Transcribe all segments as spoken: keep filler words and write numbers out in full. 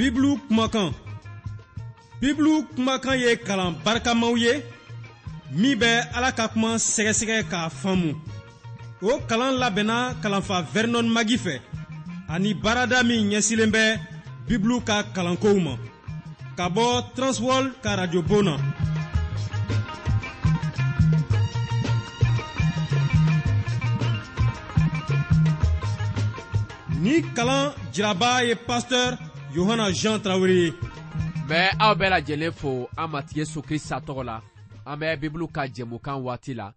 Bibulu kumakan. Bibulu kumakan ye kalan barikamaw ye min bɛ Ala ka kuma sɛgɛsɛgɛ k'a faamu. O kalan labɛnna kalanfa Vernon Magi fɛ ani baarada min ɲɛsilen bɛ Bibulu ka kalankow ma ka bɔ Transworld ka radio bon na. Ni kalan jiraba ye pasteur Yohana Jean Traoré ye. Bɛ aw bɛɛ lajɛlen fo an Matigi Yesu Krista tɔgɔ la. An bɛ Bibulu ka jɛmukan waati la.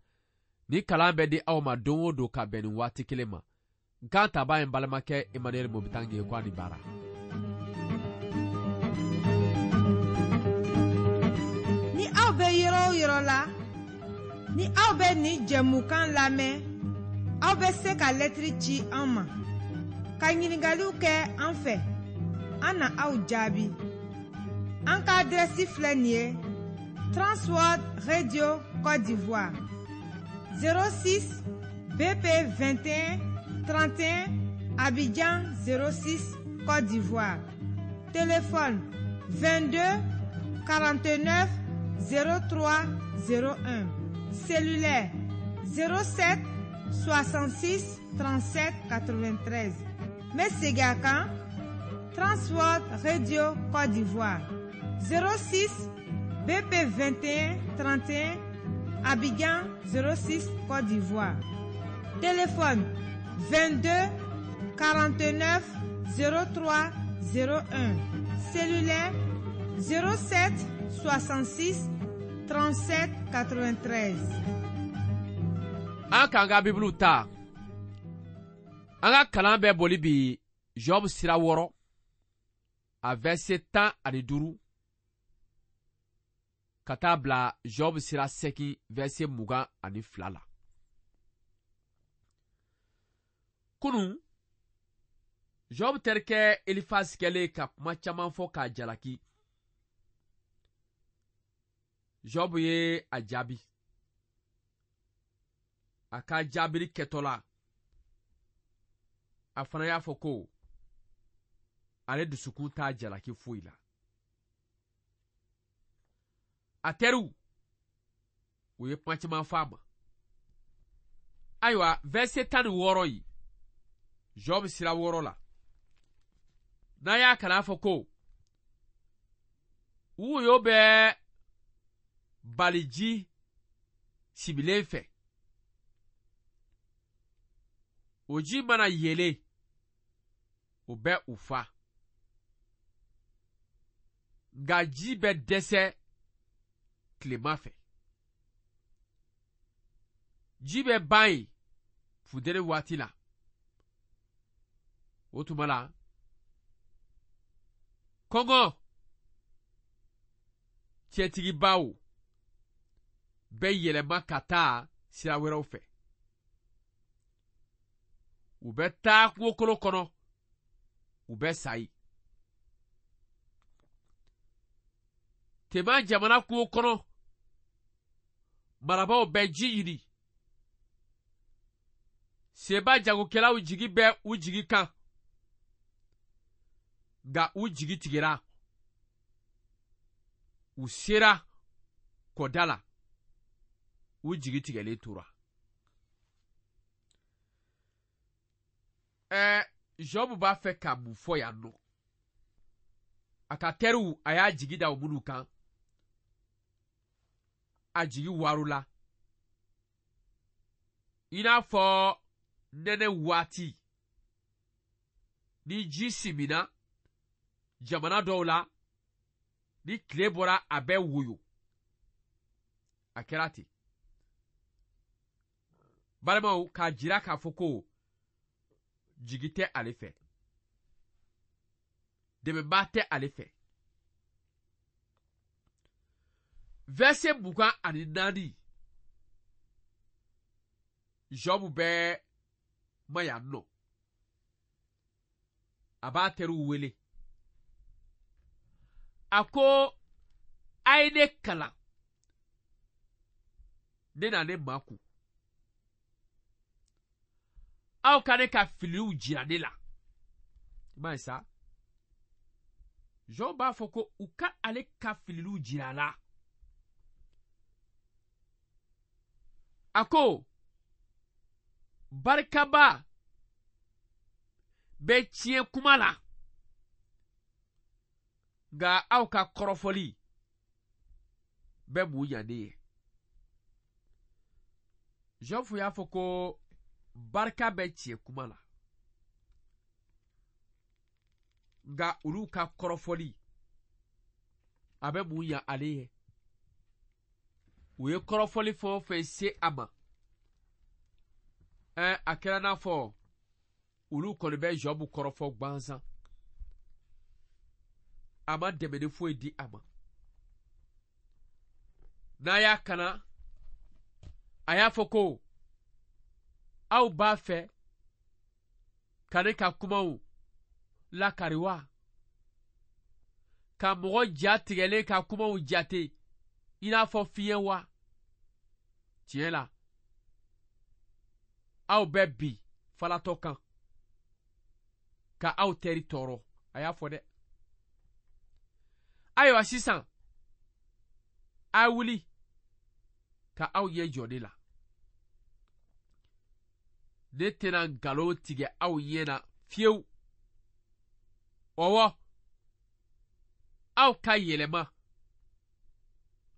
Ni kalan bɛ di aw ma don o don ka bɛn nin waati kelen ma. Nkan taba ye n balimakɛ Emmanuel Mobitange ye ko a ni baara. Ni aw bɛ yɔrɔ o yɔrɔ la, ni aw bɛ nin jɛmukan lamɛn, aw bɛ se ka lɛtiri ci an ma, ka ɲininkaliw kɛ an fɛ, an na aw jaabi. An ka adrɛsi filɛ nin ye: Transworld Radio Côte d'Ivoire, zéro six B P vingt et un trente et un, Abidjan zéro six Côte d'Ivoire. Téléphone vingt-deux quarante-neuf zéro trois zéro un. Cellulaire zéro sept soixante-six trente-sept quatre-vingt-treize. N bɛ segin a kan: Transworld Radio Côte d'Ivoire, zéro six B P vingt et un trente et un, Abidjan zéro six Côte d'Ivoire. Téléphone vingt-deux quarante-neuf zéro trois zéro un. Cellulaire zéro sept soixante-six trente-sept quatre-vingt-treize. An k'an ka Bibulu ta. An ka kalan bɛ boli bi Job sira wɔɔrɔ a verset tan ani duuru ka taa bila Job sira seegin verset mugan ani fila la. Kunun, Job terikɛ Elifaz kɛlen ka kuma caman fɔ k'a jalaki. Job ye a jaabi. A ka jaabili kɛtɔ la, a fana y'a fɔ ko ale dusukun t'a jalaki foyi la. A teriw, u ye kuma caman fɔ a ma. Ayiwa, verset tan ni wɔɔrɔ yi, Job sira wɔɔrɔ la, n'a y'a kalan a fɔ ko woyo bɛ baliji sibilen fɛ, o ji mana yelen, o bɛ u fa, nka ji bɛ dɛsɛ tilema fɛ. Ji bɛ ban yen funteni waati la. O tuma la, kɔngɔ cɛtigibaw bɛ yɛlɛma ka taa sira wɛrɛw fɛ. U bɛ taa kungokolo kɔnɔ, u bɛ sa yen. Tema jamana kungo kɔnɔ, marabaaw bɛ ji ɲini. Seba jagokɛlaw jigi bɛ u jigi kan, nka u jigi tigɛra. U sera kɔda la, u jigi tigɛlen tora. Ɛɛ, Job b'a fɛ ka mun fɔ yan nɔ? A ka teriw, a y'a jigi da o minnu kan, a jigi waaro la. I n'a fɔ nɛnɛ waati, ni ji simina jamana dɔw la, ni tile bɔra a bɛ woyo. A kɛra ten. Balimaw, k'a jira k'a fɔ ko jigi tɛ ale fɛ, dɛmɛbaa tɛ ale fɛ. Verset mugan ani naani, Job bɛ ma yan nɔ. A b'a teriw wele. A ko a ye ne kalan, ne na ne makun. Aw ka ne ka filiw jira ne la. I m'a ye sa? Job b'a fɔ ko u ka ale ka fililiw jira a la. A ko barikaba bɛ tiɲɛ kuma la, nka aw ka kɔrɔfɔli bɛ mun ɲa ne ye? Job y'a fɔ ko barika bɛ tiɲɛ kuma la, nka olu ka kɔrɔfɔli a bɛ mun ɲa ale ye? U ye kɔrɔfɔli fɛn o fɛn se a ma, ɛɛ a kɛra n'a fɔ olu kɔni bɛ Job kɔrɔfɔ gansan. A ma dɛmɛni foyi di a ma. N'a y'a kana, a y'a fɔ ko aw b'a fɛ ka ne ka kumaw lakari wa? Ka mɔgɔ ja tigɛlen ka kumaw jate i n'a fɔ fiɲɛ wa? Tiɲɛ la, aw bɛ bi falatɔ kan ka aw teri tɔɔrɔ. A y'a fɔ dɛ. Ayiwa sisan, a wuli ka aw ɲɛ jɔ ne la. Ne tɛna nkalon tigɛ aw ɲɛ na fiyewu. Ɔwɔ, aw ka yɛlɛma,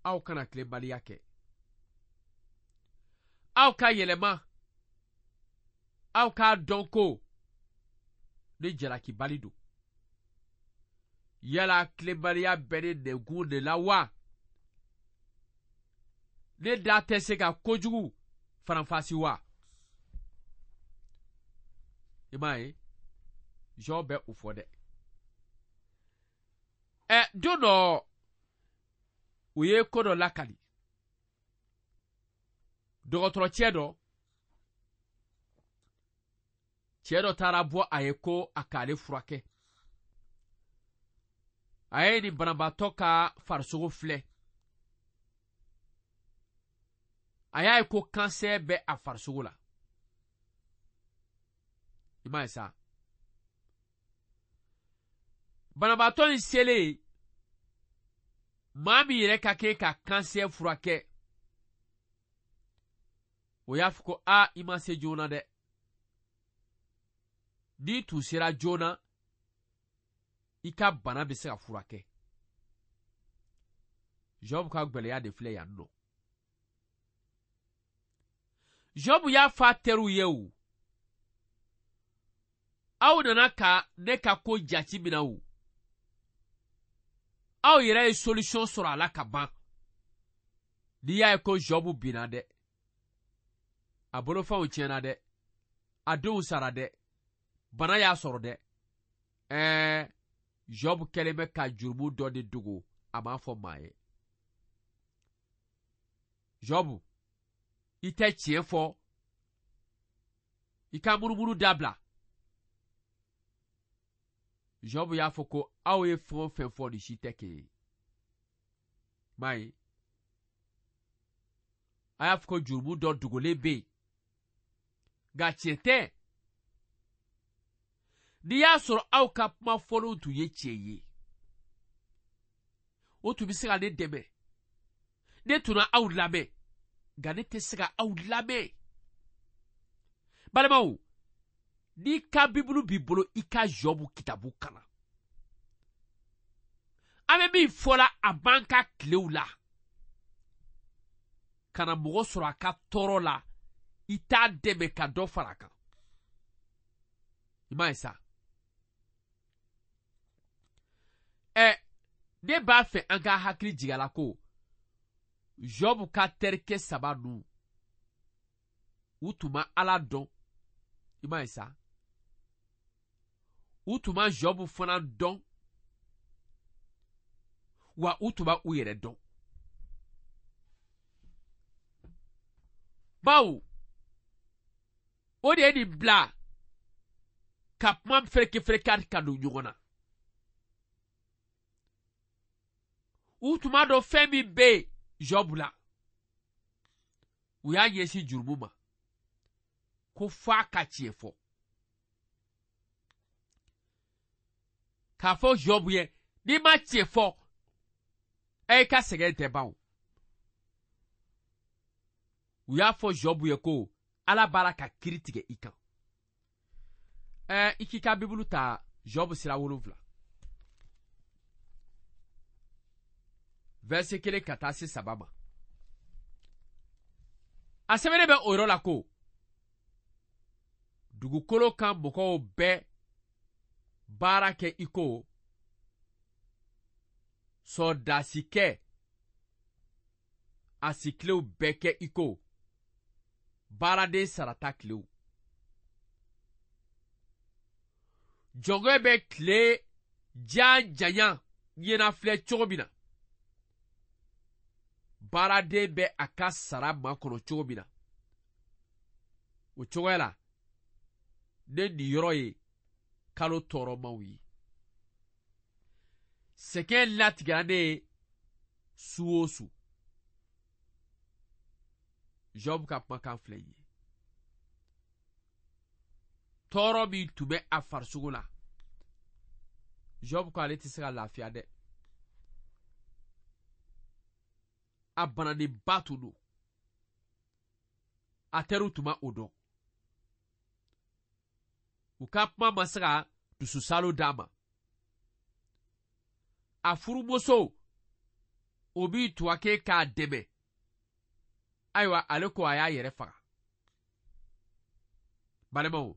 aw kana tilenbaliya kɛ. Aw ka yɛlɛma, aw k'a dɔn ko ne jalakibali don. Yala tilenbaliya bɛ ne nɛnkun de la wa? Ne da tɛ se ka kojugu faranfasi wa? I m'a ye, Job bɛ o fɔ dɛ. Ɛ don dɔ, u ye ko dɔ lakali. Dɔgɔtɔrɔcɛ dɔ, cɛ dɔ taara bɔ a ye ko a k'ale furakɛ. A ye nin banabaatɔ ka farisogo filɛ. A y'a ye ko kansɛr bɛ a farisogo la. I m'a ye sa. Banabaatɔ in selen, maa min yɛrɛ ka kɛ ka kansɛr furakɛ, o y'a fɔ ko a i ma se joona dɛ. N'i tun sera joona, i ka bana bɛ se ka furakɛ. Job ka gwɛlɛya de filɛ yan nɔ. Job y'a fɔ a teriw ye o, aw nana ka ne ka ko jate minɛ o, aw yɛrɛ ye solution sɔrɔ a la ka ban. N'i y'a ye ko Job binna dɛ, a bolofɛnw tiɲɛna dɛ, a denw sara dɛ, bana y'a sɔrɔ dɛ, ɛɛ Job kɛlen bɛ ka jurumu dɔ de dogo, a m'a fɔ maa ye. Job, i tɛ tiɲɛ fɔ, i ka munumunu dabila. Job y'a fɔ ko aw ye fɛn o fɛn fɔ nin si tɛ kelen ye. M'a ye, a y'a fɔ ko jurumu dɔ dogolen bɛ yen, nka tiɲɛ tɛ. N'i y'a sɔrɔ aw ka kuma fɔlenw tun ye tiɲɛ ye, o tun bɛ se ka ne dɛmɛ. Ne tun na aw lamɛn, nka ne tɛ se ka aw lamɛn. Balimaw, n'i ka Bibulu b'i bolo, i ka Job kitabu kalan. An bɛ min fɔla a b'an ka tilew la, ka na mɔgɔ sɔrɔ a ka tɔɔrɔ la, i t'a dɛmɛ ka dɔ fara a kan. I m'a ye sa. Ɛ ne b'a fɛ an ka hakili jigin a la ko Job ka terikɛ saba ninnu, u tun ma Ala dɔn. I m'a ye sa. U tun ma Job fana dɔn, wa u tun ma u yɛrɛ dɔn. Bawo o de ye nin bila ka kuma fereke fereke ka don ɲɔgɔn na. U tun b'a dɔn fɛn min bɛ yen Job la. U y'a ɲɛsin jurumu ma ko f'a ka tiɲɛ fɔ. K'a fɔ Job ye, N'i ma tiɲɛ fɔ, e ka sɛgɛn tɛ ban o. U y'a fɔ Jɔbu ye ko Ala b'a la ka kiiri tigɛ i kan. Ɛɛ i k'i ka Bibulu ta Jɔbu sira wolonfila. Verset kelen ka taa se saba ma. A sɛbɛnnen bɛ o yɔrɔ la ko dugukolo kan mɔgɔw bɛ baara kɛ i ko sɔrɔdasikɛ a sikilew bɛɛ kɛ i ko baaraden sarata kilew. Jɔnkɛ bɛ tile jan janya ɲɛnafilɛ cogo min na, baaraden bɛ a ka sara makɔnɔ cogo min na, o cogoya la ne niyɔrɔ ye kalo tɔɔrɔmaw ye. Sɛgɛn latigɛra ne ye su o su. Job ka kumakan filɛ nin ye. Tɔɔrɔ min tun bɛ a farisogo la, Job ko ale tɛ se ka lafiya dɛ. A bananenba tun don. A teriw tun ma o dɔn. U ka kuma ma se ka dususalo d'a ma. A furumuso o b'i tuwake k'a dɛmɛ. Ayiwa ale ko a y'a yɛrɛ faga. Balimaw,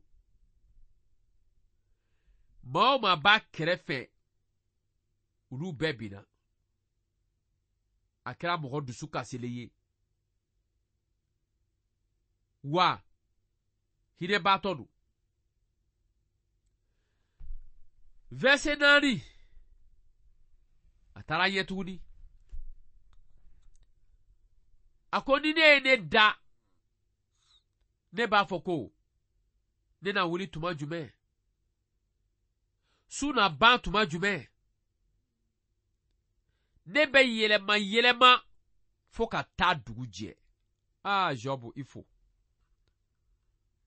maa o maa b'a kɛrɛfɛ, olu bɛɛ binna. A kɛra mɔgɔ dusu kasilen ye. Wa hinɛbaatɔ don. Verset naani, a taara ɲɛ tuguni. A ko ni ne ye ne da, ne b'a fɔ ko ne na wuli tuma jumɛn? Su na ban tuma jumɛn? Ne bɛ yɛlɛma yɛlɛma fo ka taa dugu jɛ. Aa Jɔbu i fo.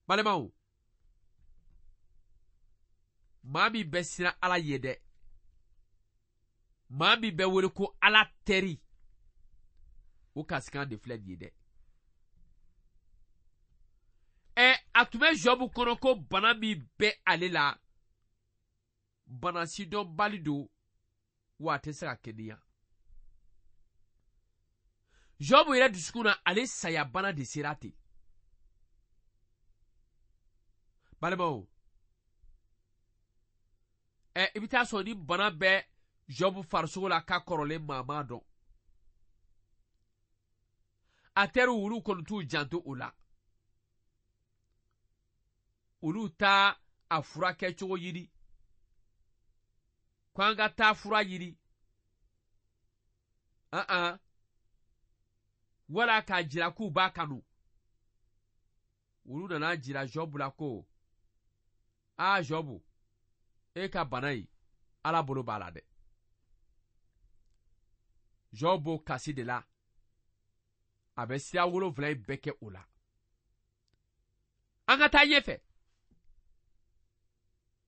Balimaw, maa min bɛ siran Ala ye dɛ, maa min bɛ wele ko Ala teri, o kasikan de filɛ nin ye dɛ. Ɛ a tun bɛ Jɔbu kɔnɔ ko bana min bɛ ale la, bana sidɔnbali don, wa a tɛ se ka kɛnɛya. Jɔbu yɛrɛ dusukun na, ale sayabana de sera ten. Balimaw, ɛ i bɛ taa sɔrɔ ni bana bɛ Jɔbu farisogo la k'a kɔrɔlen maa m'a dɔn. A teriw olu kɔni t'u janto o la. Olu t'a a furakɛcogo ɲini. Ko an ka taa fura ɲini. An an. Wala k'a jira k'u b'a kanu. Olu nana jira Jɔbu la ko, aa Jɔbu, e ka bana in, Ala bolo b'a la dɛ. Jɔbu b'o kasi de la. A bɛ sira wolonfila in bɛɛ kɛ o la. An ka taa ɲɛfɛ.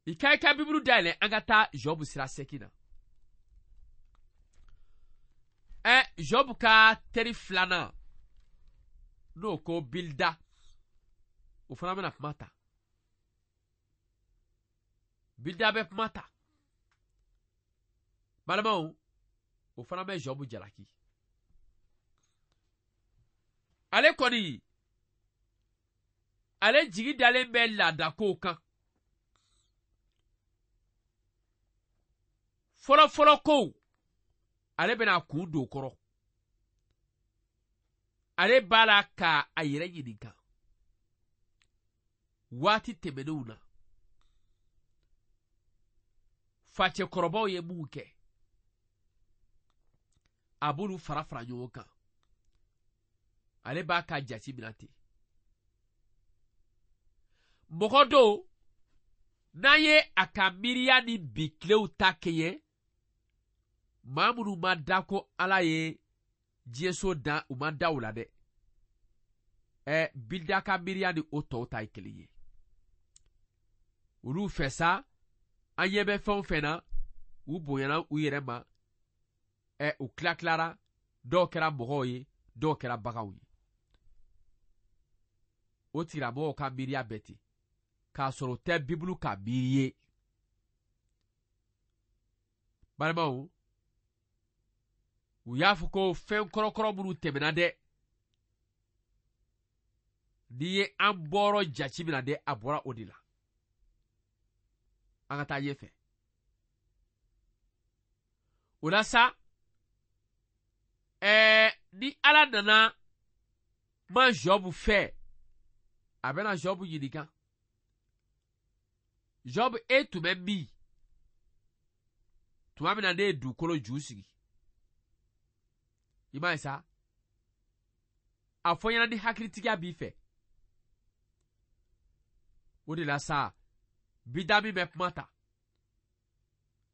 I ka i ka Bibulu dayɛlɛ, an ka taa Jɔbu sira seegin na. Ɛ Jɔbu ka teri filanan, n'o ko Bilida, o fana bɛna kuma ta. Bilida bɛ kuma ta. Balimaw, o fana bɛ Jɔbu jalaki. Ale kɔni, ale jigi dalen bɛ laadakow kan. Fɔlɔfɔlɔ kow, ale bɛna a kun don o kɔrɔ. Ale b'a la ka a yɛrɛ ɲininka. Waati tɛmɛnenw na, facɛkɔrɔbaw ye mun kɛ, a b'olu fara fara ɲɔgɔn kan. Ale b'a ka jate minɛ ten. Mɔgɔ dɔw, n'an ye a ka miiriya ni bi tilew ta kɛɲɛ, maa minnu ma da ko Ala ye diɲɛso dan, u ma da o la dɛ. Ɛ Bilida ka miiriya ni o tɔw ta ye kelen ye. Olu fɛ sa, an ɲɛ bɛ fɛn o fɛn na, U bonyana u yɛrɛ ma, ɛ u tila tilara, dɔw kɛra mɔgɔw ye, dɔw kɛra baganw ye. O tigilamɔgɔw ka miiriya bɛɛ ten, k'a sɔrɔ o tɛ Bibulu ka miiri ye. Balimaw, u y'a fɔ ko fɛn kɔrɔkɔrɔ minnu tɛmɛna dɛ, n'i ye an bɔrɔ jate minɛ dɛ, a bɔra o de la. An ka taa ɲɛfɛ. O la sa, ɛɛ ni Ala nana ma Jobu fɛ, a bɛna Jobu ɲininka. Jobu, e tun bɛ min? Tuma min na ne ye dugukolo ju sigi. I m'a ye sa? A fɔ n ɲɛna ni hakilitigiya b'i fɛ. O de la sa, bida min bɛ kuma ta,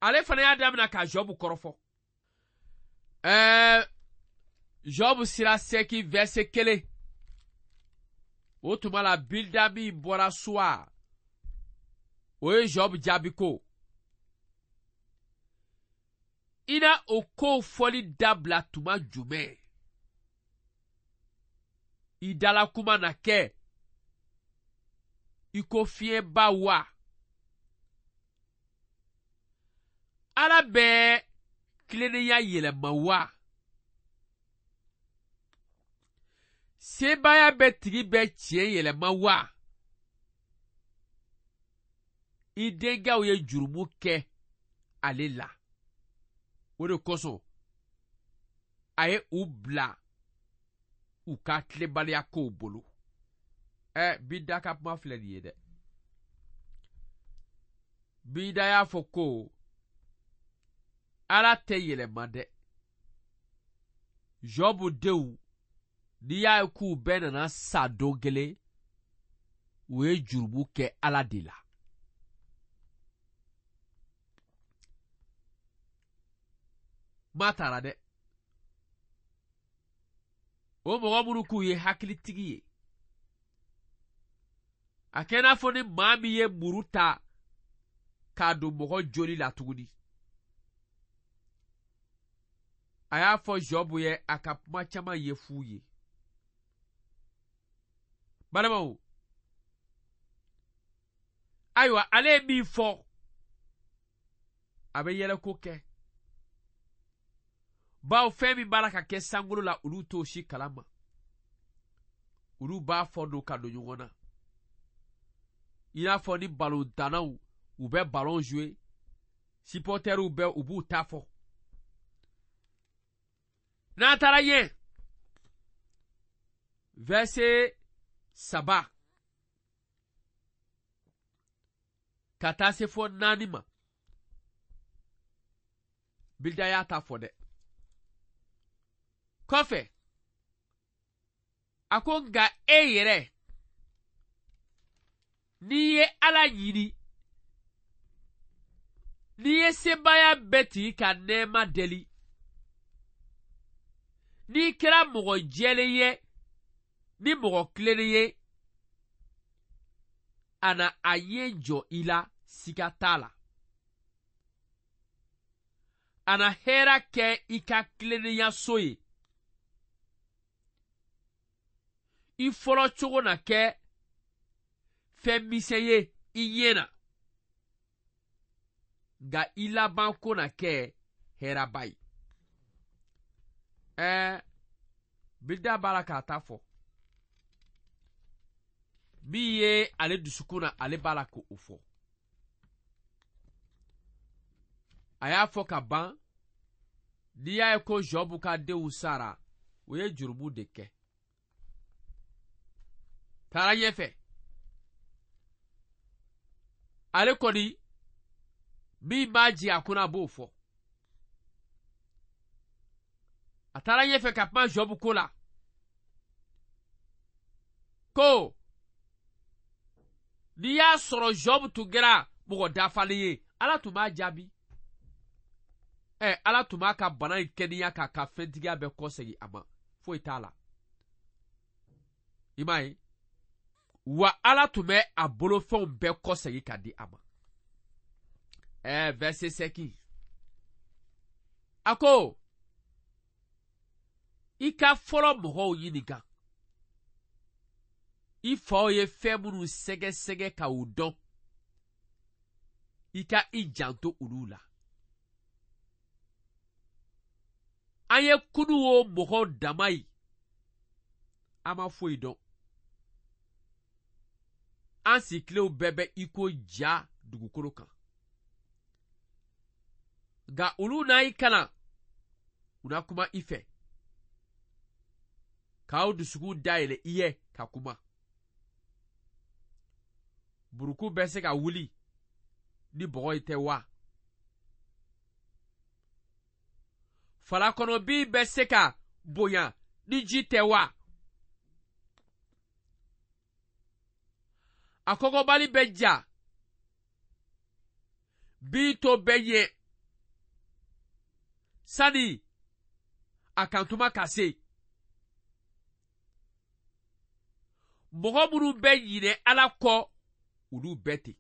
ale fana y'a daminɛ ka Jobu kɔrɔfɔ. Ɛɛ Jobu sira seegin verset kelen. O tuma la Bilda min bɔra Suwa, o ye Jobu jaabi ko, i na o kow fɔli dabila tuma jumɛn? I dala kuma na kɛ i ko fiɲɛba wa? Ala bɛ tilennenya yɛlɛma wa? Sebaaya bɛ tigi bɛ tiɲɛ yɛlɛma wa? I denkɛw ye jurumu kɛ ale la. O de kosɔn a ye u bila u ka tilenbaliya kow bolo. Ɛ Bida ka kuma filɛ nin ye dɛ. Bida y'a fɔ ko Ala tɛ yɛlɛma dɛ. Jobu denw, n'i y'a ye k'u bɛɛ nana sa don kelen, u ye jurumu kɛ Ala de la. Ma taara dɛ. O mɔgɔ minnu k'u ye hakilitigi ye, a kɛ n'a fɔ ni maa min ye muru ta k'a don mɔgɔ joli la tuguni. A y'a fɔ Jobu ye a ka kuma caman ye f'u ye. Balimaw, ayiwa ale ye min fɔ, a bɛ yɛlɛko kɛ. Bawo fɛn min b'a la ka kɛ sankolo la, olu t'o si kalama. Olu b'a fɔ don ka don ɲɔgɔn na. I n'a fɔ ni balontannaw, u bɛ balon jouer, supporteriw bɛ u b'u ta fɔ. N'an taara ɲɛ, verset saba ka taa se fɔ naani ma, Bilda y'a ta fɔ dɛ. Kɔfɛ, a ko nka e yɛrɛ, n'i ye Ala ɲini, n'i ye sebaaya bɛɛ tigi ka nɛɛma deli, n'i kɛra mɔgɔ jɛlen ye ni mɔgɔ tilennen ye, a na a ye jɔ i la, siga t'a la. A na hɛrɛ kɛ i ka tilennenya so ye. I fɔlɔ cogo na kɛ fɛn misɛn ye i ɲɛ na, nka i laban ko na kɛ hɛrɛba ye. Ɛɛ Bilda b'a la k'a ta fɔ. Min ye ale dusukun na, ale b'a la k'o fɔ. A y'a fɔ ka ban, n'i y'a ye ko Jobu ka denw sara, o ye jurumu de kɛ. Taara ɲɛfɛ. Ale kɔni, min b'a jigin a kunna, a b'o fɔ. A taara ɲɛfɛ ka kuma Jobu ko la. Ko n'i y'a sɔrɔ Jobu tun kɛra mɔgɔ dafalen ye, Ala tun b'a jaabi. Ɛ Ala tun b'a ka bana in kɛnɛya k'a ka fɛntigiya bɛɛ kɔsegin a ma, foyi t'a la. I m'a ye? Wa Ala tun bɛ a bolofɛnw bɛɛ kɔsegin ka di a ma. Ɛ verset seegin. A ko i ka fɔlɔ mɔgɔw ɲininka, i faw ye fɛn minnu sɛgɛsɛgɛ ka u dɔn, i ka i janto olu la. An ye kunu o mɔgɔw dama ye, an ma foyi dɔn. An sikilenw bɛɛ bɛ i ko ja dugukolo kan. Nka olu na i kalan, u na kuma i fɛ, k'aw dusukun dayɛlɛ i ye ka kuma. Buruku bɛ se ka wuli ni bɔgɔ ye tɛ wa? Falakɔnɔbin bɛ se ka bonya ni ji tɛ wa? A kɔgɔbali bɛ ja, bin to bɛ ɲɛ sani a kantuma ka se. Mɔgɔ minnu bɛ ɲinɛ Ala kɔ, olu bɛɛ ten.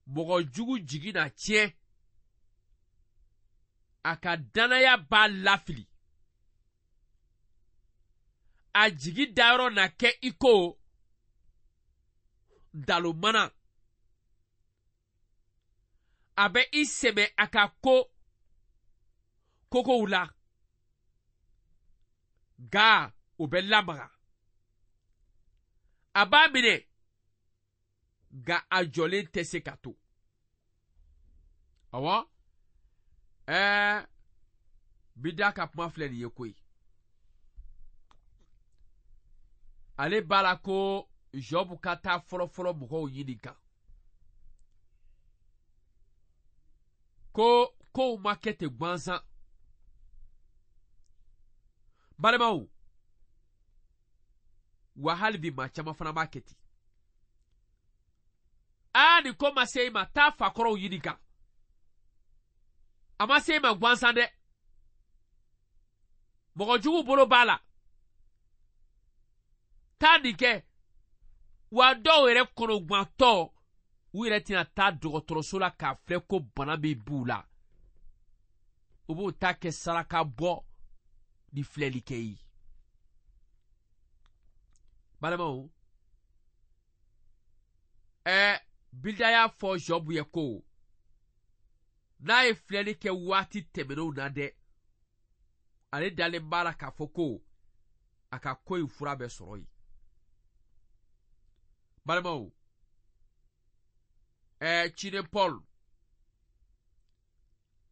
Mɔgɔ jugu jigi na tiɲɛ, a ka danaya b'a lafili. A jigi dayɔrɔ na kɛ i ko dalomana. A bɛ i sɛmɛ a ka ko kokow la, nka o bɛ lamaga. A b'a minɛ, nka a jɔlen tɛ se ka to. Awɔ, ɛɛ Bida ka kuma filɛ nin ye koyi. Ale b'a la ko Job ka taa fɔlɔfɔlɔ mɔgɔw ɲininka ko kow ma kɛ ten gansan. Balimaw, wa hali bi maa caman fana b'a kɛ ten. Aa, nin ko ma se i ma, taa fakɔrɔw ɲininka. A ma se i ma gansan dɛ. Mɔgɔ jugu bolo b'a la. Taa nin kɛ. Wa dɔw yɛrɛ kɔnɔgantɔ, u yɛrɛ tɛna taa dɔgɔtɔrɔso la k'a filɛ ko bana min b'u la. U b'o ta kɛ saraka bɔ ni filɛli kɛ ye. Balimaw, ɛɛ Bilda y'a fɔ Job ye ko n'a ye filɛli kɛ waati tɛmɛnenw na dɛ, ale dalen b'a la k'a fɔ ko a ka ko in fura bɛ sɔrɔ yen. Balimaw, ɛɛ ciden Paul,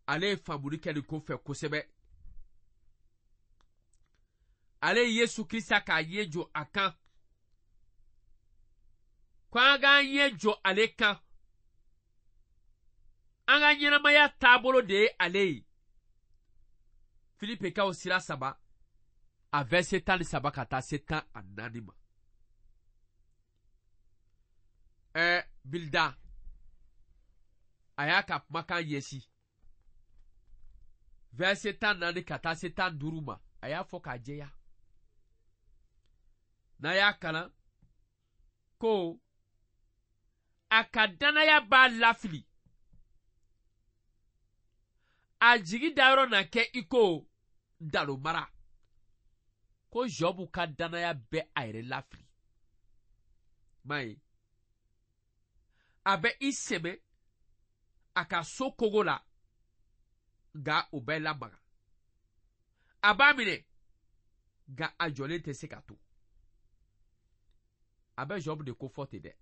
ale ye faamuli kɛ nin ko fɛ kosɛbɛ. Ale ye Yesu Krista k'a ɲɛ jɔ a kan, ko an k'an ɲɛ jɔ ale kan. An ka ɲɛnamaya taabolo de ye ale ye. Filipekaw sira saba, a verset tan ni saba ka taa se tan ani naani ma. Ɛɛ Bilda, a y'a ka kumakan ɲɛsin verset tan naani ka taa se tan duuru ma, a y'a fɔ k'a jɛya. N'a y'a kalan ko a ka danaya b'a lafili, a jigi dayɔrɔ na kɛ i ko dalomara. Ko Job ka danaya bɛ a yɛrɛ lafili. M'a ye, a bɛ i sɛmɛ a ka so kogo la, nka o bɛ lamaga. A b'a minɛ, nka a jɔlen tɛ se ka to. A bɛ Job de ko fɔ ten dɛ.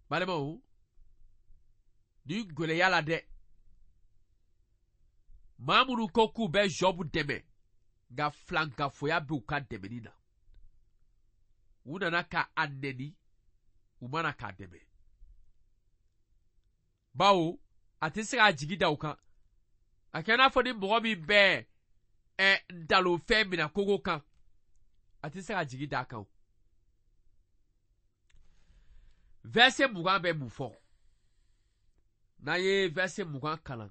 Balimaw, ni gɛlɛya la dɛ, maa minnu ko k'u bɛ Job dɛmɛ, nka filankafoya b'u ka dɛmɛni na. U nana ka a nɛni, u ma na k'a dɛmɛ. Bawo a tɛ se k'a jigi da u kan. A kɛ n'a fɔ ni mɔgɔ min bɛ ɛ ntalonfɛn minɛ kogo kan, a tɛ se k'a jigi da a kan. Verset mugan bɛ mun fɔ? N'an ye verset mugan kalan,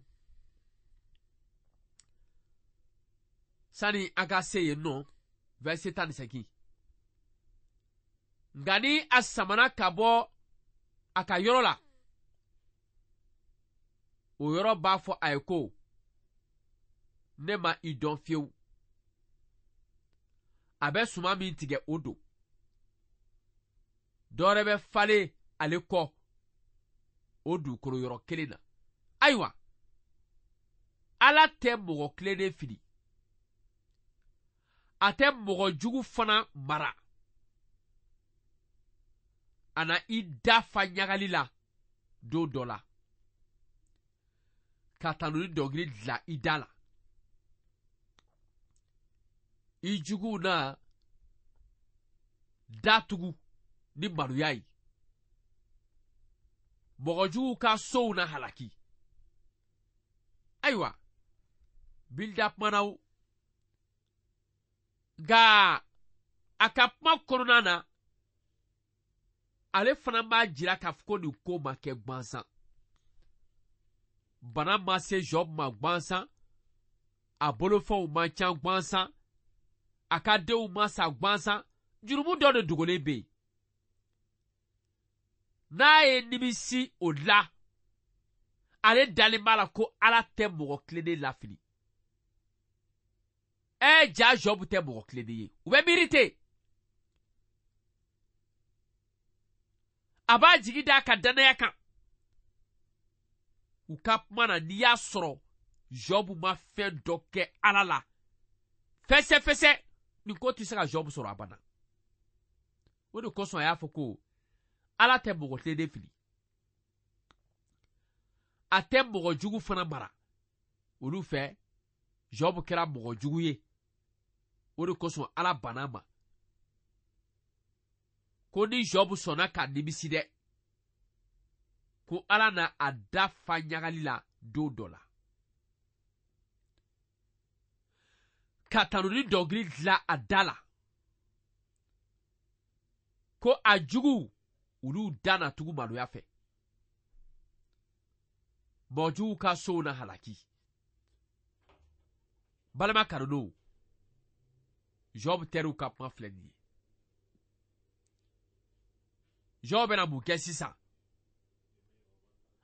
sani an ka se yen nɔ, verset tan ni seegin. Nka ni a samana ka bɔ a ka yɔrɔ la, O yɔrɔ b'a fɔ a ye ko ne ma i dɔn fiyewu. A bɛ suman min tigɛ o don. Dɔ wɛrɛ bɛ falen ale kɔ o dugukolo yɔrɔ kelen na. Ayiwa, Ala tɛ mɔgɔ tilennen fili. A tɛ mɔgɔ jugu fana mara. A na i da fa ɲagali la don dɔ la. Ka tanuni dɔnkili dilan i da la. I juguw na datugu ni maloya ye. Mɔgɔ juguw ka sow na halaki. Ayiwa, Bilda kumana o. Nka a ka kuma kɔnɔna na, ale fana b'a jira k'a fɔ ko nin ko ma kɛ gansan. Bana ma se Job ma gansan, a bolofɛnw ma ca gansan, a ka denw ma sa gansan, jurumu dɔ de dogolen bɛ yen. N'a ye nimisi o la, ale dalen b'a la ko Ala tɛ mɔgɔ tilennen lafili. Ɛ ja Job tɛ mɔgɔ tilennen ye. U bɛ miiri ten. A b'a jigi d'a ka danaya kan. U ka kuma na, n'i y'a sɔrɔ Job ma fɛn dɔ kɛ Ala la, fɛsɛfɛsɛ, nin ko tɛ se ka Job sɔrɔ abada. O de kosɔn a y'a fɔ ko Ala tɛ mɔgɔ tilennen fili. A tɛ mɔgɔ jugu fana mara. Olu fɛ, Job kɛra mɔgɔ jugu ye. O de kosɔn Ala banna ma. Ko ni Job sɔnna ka nimisi dɛ, ko Ala na a da fa ɲagali la don dɔ la. Ka tanuni dɔnkili dilan a da la. Ko a juguw, olu da na tugu maloya fɛ. Mɔgɔ juguw ka sow na halaki. Balima kanulenw, Job teriw ka kuma filɛ nin ye. Job bɛna mun kɛ sisan?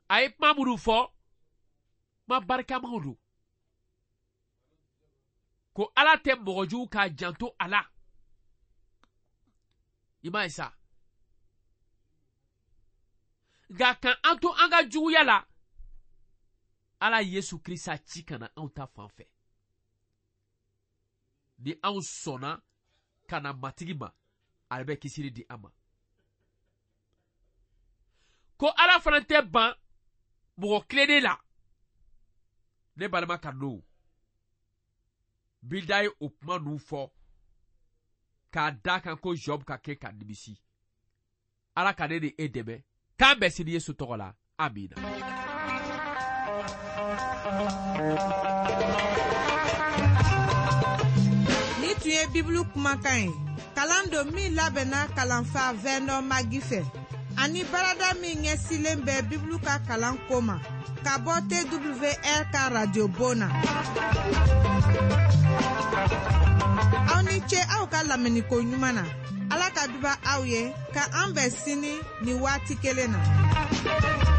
A ye kuma minnu fɔ, kuma barikamaw don. Ko Ala tɛ mɔgɔ jugu k'a janto a la. I m'a ye sa. Nka ka an to an ka juguya la, Ala Yesu Krista ci ka na anw ta fan fɛ. Ni anw sɔnna ka na Matigi ma, ale bɛ kisili di an ma. Ko Ala fana tɛ ban mɔgɔ tilennen la. Ne balima kanulenw, Bilda ye o kuma ninnu fɔ k'a da kan ko Job ka kɛ ka nimisi. Ala ka ne ni e dɛmɛ. K'an bɛn sini Yesu tɔgɔ la. Amina. Ni tun ye Bibulu kumakan ye. Kalan don min labɛnna kalanfa Vernon Magi fɛ. Ani barada min ɲɛsilen bɛ Bibulu ka kalan ko ma. Ka bɔ T W R ka radio bon na. Aw ni ce aw ka lamɛnniko ɲuman na. Ala ka duba aw ye ka an bɛn sini ni waati kelen na.